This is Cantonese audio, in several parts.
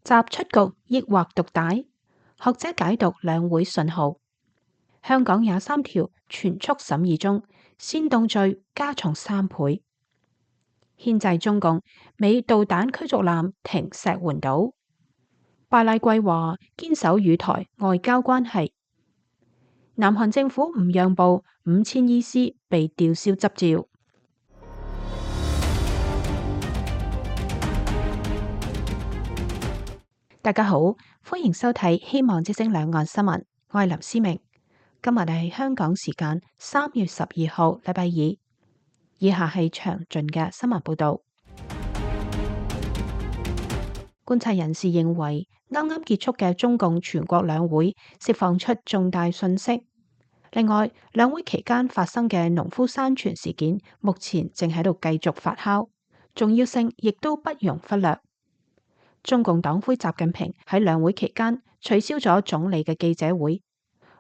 習出局抑或獨大？學者解讀兩會信號。香港23條全速審議中，煽動罪加重3倍。牽制中共，美導彈驅逐艦停石垣島。巴拉圭話堅守與台外交關係。南韓政府唔讓步，5000醫師被吊銷執照。大家好，歡迎收睇《希望之聲兩岸新聞》，我係林思明。今日係香港時間3月12號，禮拜二。以下係詳盡嘅新聞報道。觀察人士認為，啱啱結束嘅中共全國兩會釋放出重大訊息。另外，兩會期間發生嘅農夫山泉事件，目前正喺度繼續發酵，重要性亦都不容忽略。中共黨魁習近平喺兩會期間取消咗總理嘅記者會。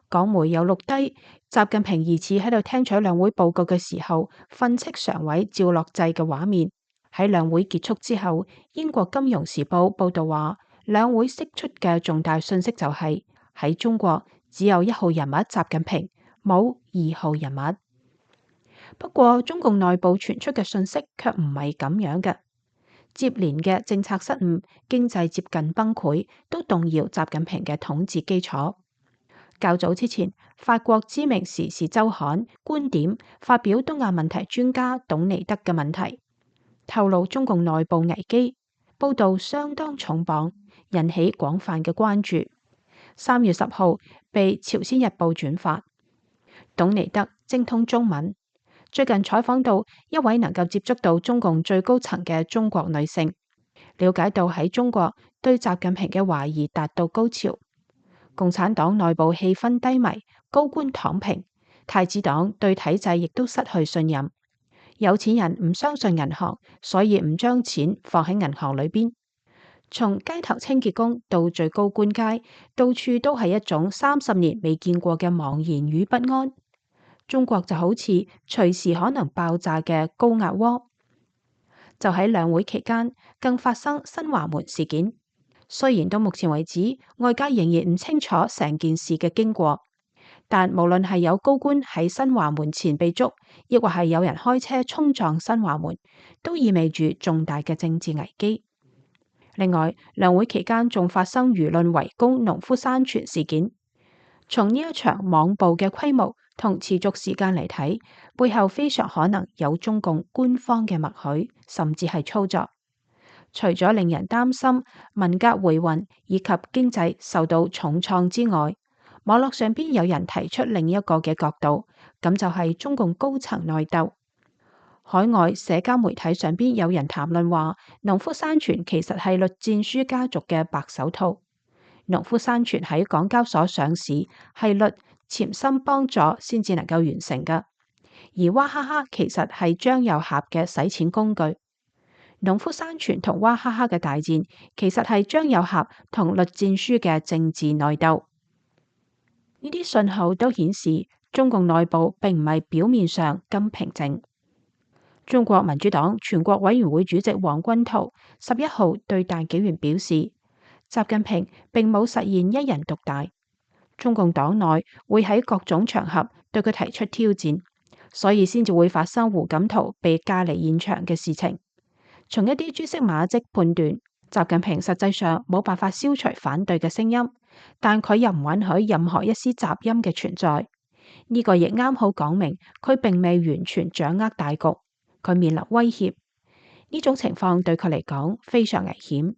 港媒有錄低習近平疑似喺度聽取兩會報告嘅時候訓斥常委趙樂際嘅畫面。喺兩會結束之後，英國金融時報報道話，兩會釋出嘅重大訊息就係喺中國只有1號人物習近平，冇2號人物。不過中共內部傳出嘅訊息卻唔係咁樣嘅。接連嘅政策失誤、經濟接近崩潰，都動搖習近平嘅統治基礎。較早之前，法國知名時事週刊觀點發表東亞問題專家董尼德嘅問題，透露中共內部危機，報道相當重磅，引起廣泛嘅關注。3月10號被朝鮮日報轉發。董尼德精通中文，最近採訪到一位能夠接觸到中共最高層嘅中國女性，了解到喺中國對習近平嘅懷疑達到高潮。共產黨內部氣氛低迷，高官躺平，太子黨對體制亦都失去信任。有錢人唔相信銀行，所以唔將錢放喺銀行裏邊。從街頭清潔工到最高官階，到處都係一種30年未見過嘅茫然與不安。中國就好似隨時可能爆炸嘅高壓鍋。就喺兩會期間，更發生新華門事件。雖然到目前為止，外界仍然唔清楚成件事嘅經過，但無論係有高官喺新華門前被捉，亦或係有人開車衝撞新華門，都意味住重大嘅政治危機。另外，兩會期間仲發生輿論圍攻農夫山泉事件。從呢一場網暴嘅規模同持續時間嚟睇，背後非常可能有中共官方嘅默許，甚至係操作。除咗令人擔心文革回魂以及經濟受到重創之外，網絡上邊有人提出另一個嘅角度，咁就係中共高層內鬥。海外社交媒體上邊有人談論話，農夫山泉其實係栗戰書家族嘅白手套。農夫山泉喺港交所上市係栗潛心幫助先至能夠完成嘅，而娃哈哈其實係張又俠嘅洗錢工具。農夫山泉同娃哈哈嘅大戰，其實係張又俠同栗戰書嘅政治內鬥。呢啲信號都顯示中共內部並唔係表面上咁平靜。中國民主黨全國委員會主席王軍濤11號對大紀元表示，習近平並冇實現一人獨大，中共黨內會喺各種場合對佢提出挑戰，所以先至會發生胡錦濤被架離現場嘅事情。從一啲蛛絲馬跡判斷，習近平實際上冇辦法消除反對嘅聲音，但佢又唔允許任何一絲雜音嘅存在。呢個亦啱好講明佢並未完全掌握大局，佢面臨威脅。呢種情況對佢嚟講非常危險。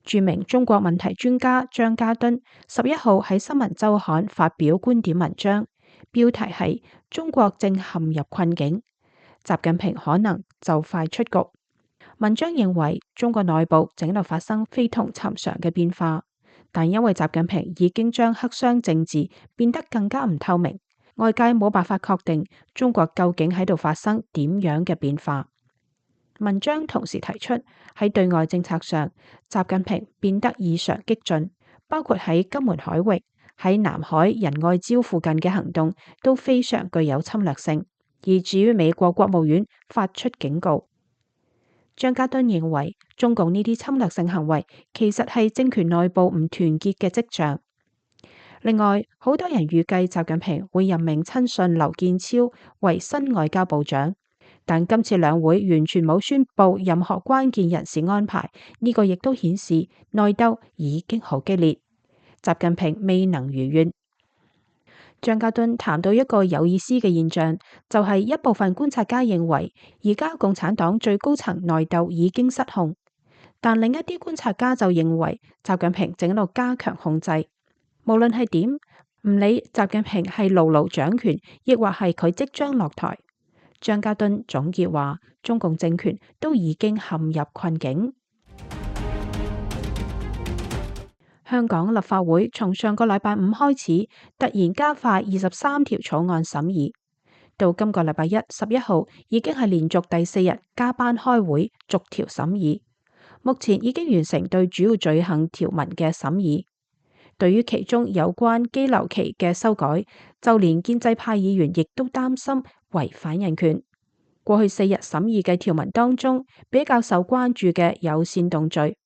著名中國問題專家張家敦11號喺新聞週刊發表觀點文章，標題係中國正陷入困境，習近平可能就快出局。文章認為中國內部正喺度發生非同尋常嘅變化，但因為習近平已經將黑箱政治變得更加唔透明，外界冇辦法確定中國究竟喺度發生點樣嘅變化。文章同時提出喺對外政策上，習近平變得異常激進，包括喺金門海域、喺南海仁愛礁附近嘅行動都非常具有侵略性，以至於美國國務院發出警告。張家敦認為，中共呢啲侵略性行為其實係政權內部唔團結嘅跡象。另外，好多人預計習近平會任命親信劉建超為新外交部長，但今次兩會完全冇宣布任何關鍵人事安排，呢個亦都顯示內鬥已經好激烈，習近平未能如願。張家敦談到一個有意思嘅現象，就係一部分觀察家認為，而家共產黨最高層內鬥已經失控，但另一啲觀察家就認為，習近平正喺度加強控制。無論係點，唔理習近平係牢牢掌權，亦或係佢即將落台，張家敦總結話，中共政權都已經陷入困境。香港立法會從上個禮拜五開始，突然加快23條草案審議，到今個禮拜11號已經係連續第4日加班開會，逐條審議。目前已經完成對主要罪行條文嘅審議。對於其中有關羈留期嘅修改，就連建制派議員亦都擔心違反人權。過去4日審議嘅條文當中，比較受關注嘅有煽動罪。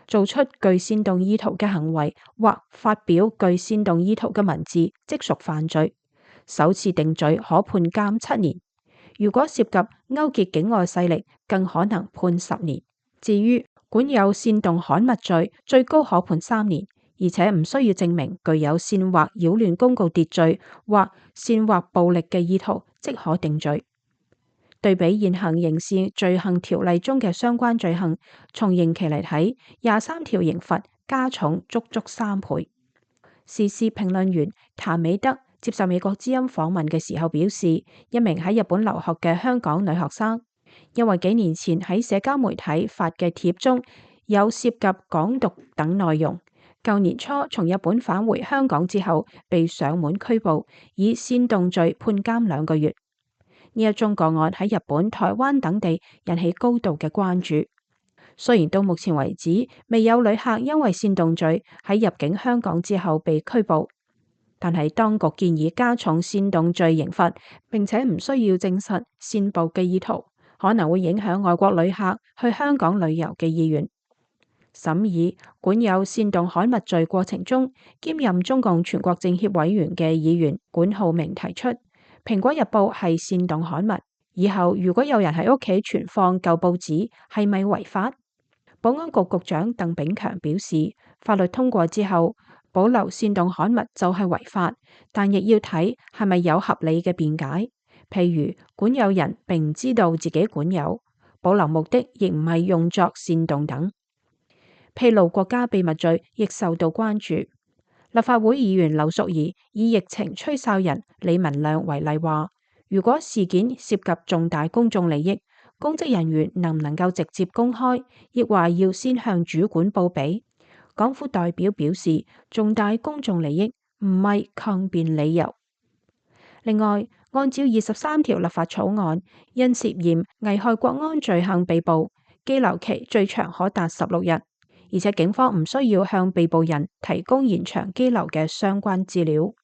做出具煽動意圖嘅行為或發表具煽動意圖嘅文字，即屬犯罪。首次定罪可判監7年，如果涉及勾結境外勢力，更可能判10年。至於管有煽動刊物罪，最高可判3年，而且唔需要證明具有煽惑擾亂公共秩序或煽惑暴力嘅意圖，即可定罪。對比現行刑事罪行條例中嘅相關罪行，從刑期嚟睇，23條刑罰加重足足3倍。時事評論員譚美德接受美國之音訪問嘅時候表示，一名喺日本留學嘅香港女學生，因為幾年前喺社交媒體發嘅帖中有涉及港獨等內容，舊年初從日本返回香港之後，被上門拘捕，以煽動罪判監2個月。呢一宗個案喺日本、台灣等地引起高度嘅關注。雖然到目前為止未有旅客因為煽動罪喺入境香港之後被拘捕，但係當局建議加重煽動罪刑罰，並且唔需要證實煽暴嘅意圖，可能會影響外國旅客去香港旅遊嘅意願。審議管有煽動刊物罪過程中，兼任中共全國政協委員嘅議員管浩鳴提出，蘋果日報係煽動刊物，以後如果有人喺屋企存放舊報紙，係咪違法？保安局局長鄧炳強表示，法律通過之後，保留煽動刊物就係違法，但亦要睇係咪有合理嘅辯解。譬如管有人並唔知道自己管有，保留目的亦唔係用作煽動等。披露國家秘密罪亦受到關注。立法會議員劉淑儀以疫情吹哨人李文亮為例話，如果事件涉及重大公眾利益，公職人員能唔能夠直接公開，亦話要先向主管報備？港府代表表示，重大公眾利益唔係抗辯理由。另外，按照23條立法草案，因涉嫌危害國安罪行被捕，羈留期最長可達16日。而且警方唔需要向被捕人提供延長羈留嘅相關資料。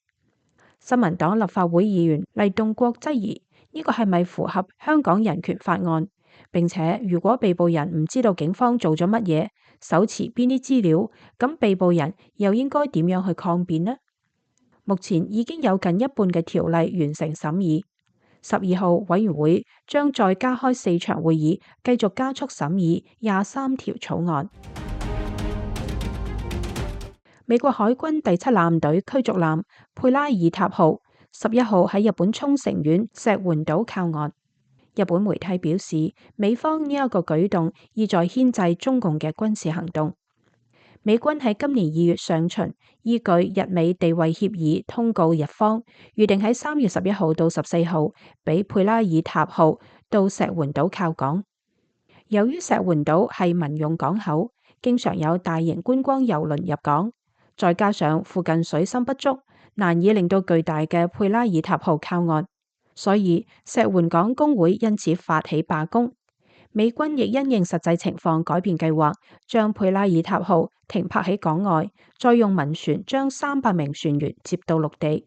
新民黨立法會議員黎棟國質疑呢個係咪符合香港人權法案？並且如果被捕人唔知道警方做咗乜嘢，手持邊啲資料，咁被捕人又應該點樣去抗辯呢？目前已經有近一半嘅條例完成審議，12號委員會將再加開4場會議，繼續加速審議23條草案。美國海軍第7艦隊驅逐艦佩拉爾塔號11號喺日本沖繩縣石垣島靠岸。日本媒體表示，美方呢一個舉動意在牽制中共嘅軍事行動。美軍喺今年2月上旬依據日美地位協議通告日方，預定喺3月11號到14號俾佩拉爾塔號到石垣島靠港。由於石垣島係民用港口，經常有大型觀光郵輪入港。再加上附近水深不足，難以令到巨大嘅佩拉爾塔號靠岸，所以石垣港工會因此發起罷工。美軍亦因應實際情況改變計劃，將佩拉爾塔號停泊喺港外，再用民船將300名船員接到陸地。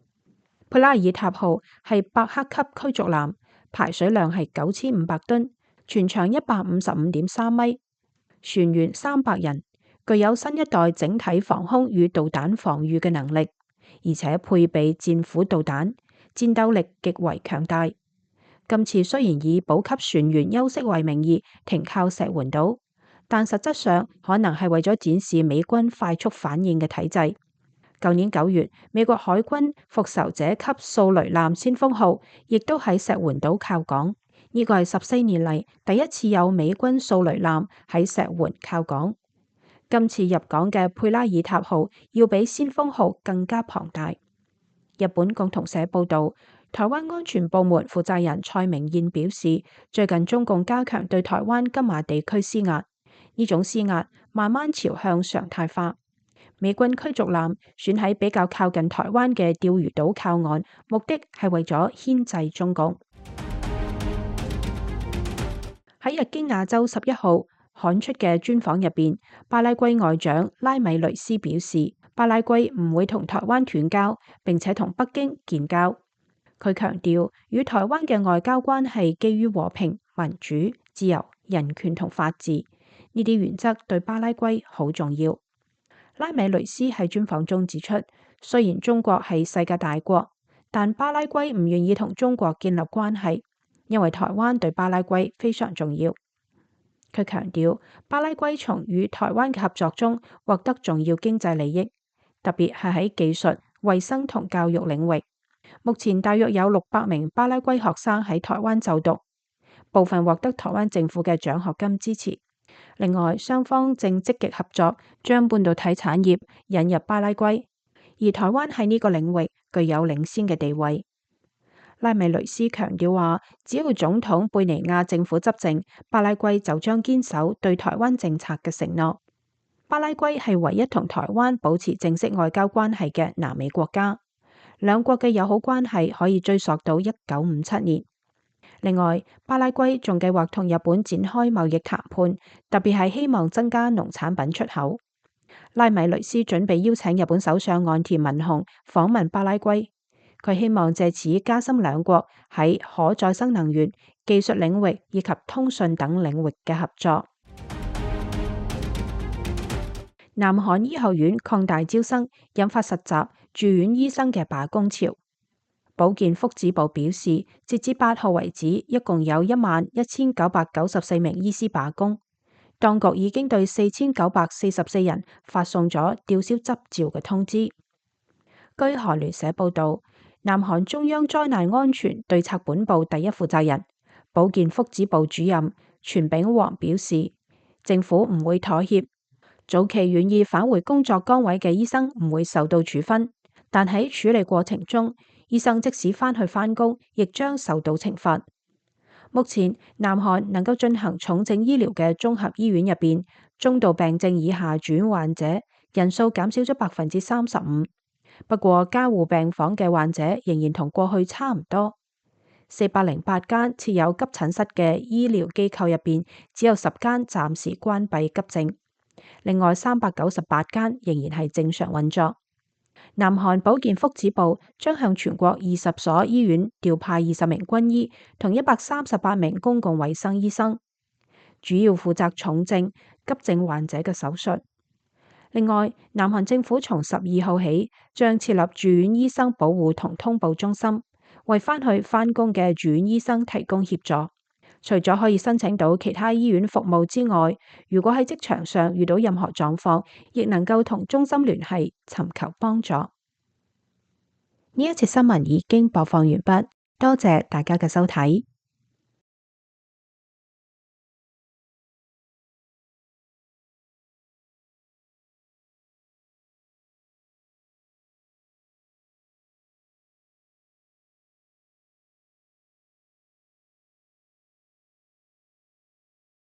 佩拉爾塔號係伯克級驅逐艦，排水量係9500噸，全長155.3米，船員300人，具有新一代整體防空與導彈防禦嘅能力，而且配備戰斧導彈，戰鬥力極為強大。今次雖然以補給船員休息為名義停靠石垣島，但實質上可能係為咗展示美軍快速反應嘅體制。舊年9月，美國海軍復仇者級掃雷艦先鋒號亦都喺石垣島靠港，呢個係14年嚟第一次有美軍掃雷艦喺石垣靠港。今次入港嘅佩拉爾塔號要比先鋒號更加龐大。日本共同社報導，台灣安全部門負責人蔡明彥表示，最近中共加強對台灣金馬地區施壓，呢種施壓慢慢朝向常態化。美軍驅逐艦選喺比較靠近台灣嘅釣魚島靠岸，目的係為咗牽制中共。喺日經亞洲11號刊出嘅專訪入邊，巴拉圭外長拉米雷斯表示，巴拉圭唔會同台灣斷交，並且同北京建交。佢強調，與台灣嘅外交關係基於和平、民主、自由、人權同法治，呢啲原則對巴拉圭好重要。拉米雷斯喺專訪中指出，雖然中國係世界大國，但巴拉圭唔願意同中國建立關係，因為台灣對巴拉圭非常重要。佢強調，巴拉圭從與台灣嘅合作中獲得重要經濟利益，特別係喺技術、衛生同教育領域。目前大約有600名巴拉圭學生喺台灣就讀，部分獲得台灣政府嘅獎學金支持。另外，雙方正積極合作，將半導體產業引入巴拉圭，而台灣喺呢個領域具有領先嘅地位。拉米雷斯強調話，只要總統貝尼亞政府執政，巴拉圭就將堅守對台灣政策嘅承諾。巴拉圭係唯一同台灣保持正式外交關係嘅南美國家，兩國嘅友好關係可以追溯到1957年。另外，巴拉圭仲計劃同日本展開貿易談判，特別係希望增加農產品出口。拉米雷斯準備邀請日本首相岸田文雄訪問巴拉圭，佢希望借此加深兩國喺可再生能源、技術領域以及通訊等領域嘅合作。南韓醫學院擴大招生，引發實習住院醫生嘅罷工潮。保健福祉部表示，截至8號為止，一共有11,994名醫師罷工。當局已經對4,944人發送咗吊銷執照嘅通知。據韓聯社報導，南韓中央災難安全對策本部第一負責人、保健福祉部主任全炳煌表示，政府唔會妥協，早期願意返回工作崗位嘅醫生唔會受到處分，但喺處理過程中，醫生即使返去返工，亦將受到懲罰。目前，南韓能夠進行重症醫療嘅綜合醫院入邊，中度病症以下住院患者人數減少咗35%。不過，加護病房嘅患者仍然同過去差唔多。408間設有急診室嘅醫療機構入邊，只有10間暫時關閉急症，另外398間仍然係正常運作。南韓保健福祉部將向全國20所醫院調派20名軍醫同138名公共衛生醫生，主要負責重症、急症患者嘅手術。另外，南韓政府從12號起將設立住院醫生保護同通報中心，為返去返工嘅住院醫生提供協助。除咗可以申請到其他醫院服務之外，如果喺職場上遇到任何狀況，亦能夠同中心聯繫，尋求幫助。呢一節新聞已經播放完畢，多謝大家嘅收睇。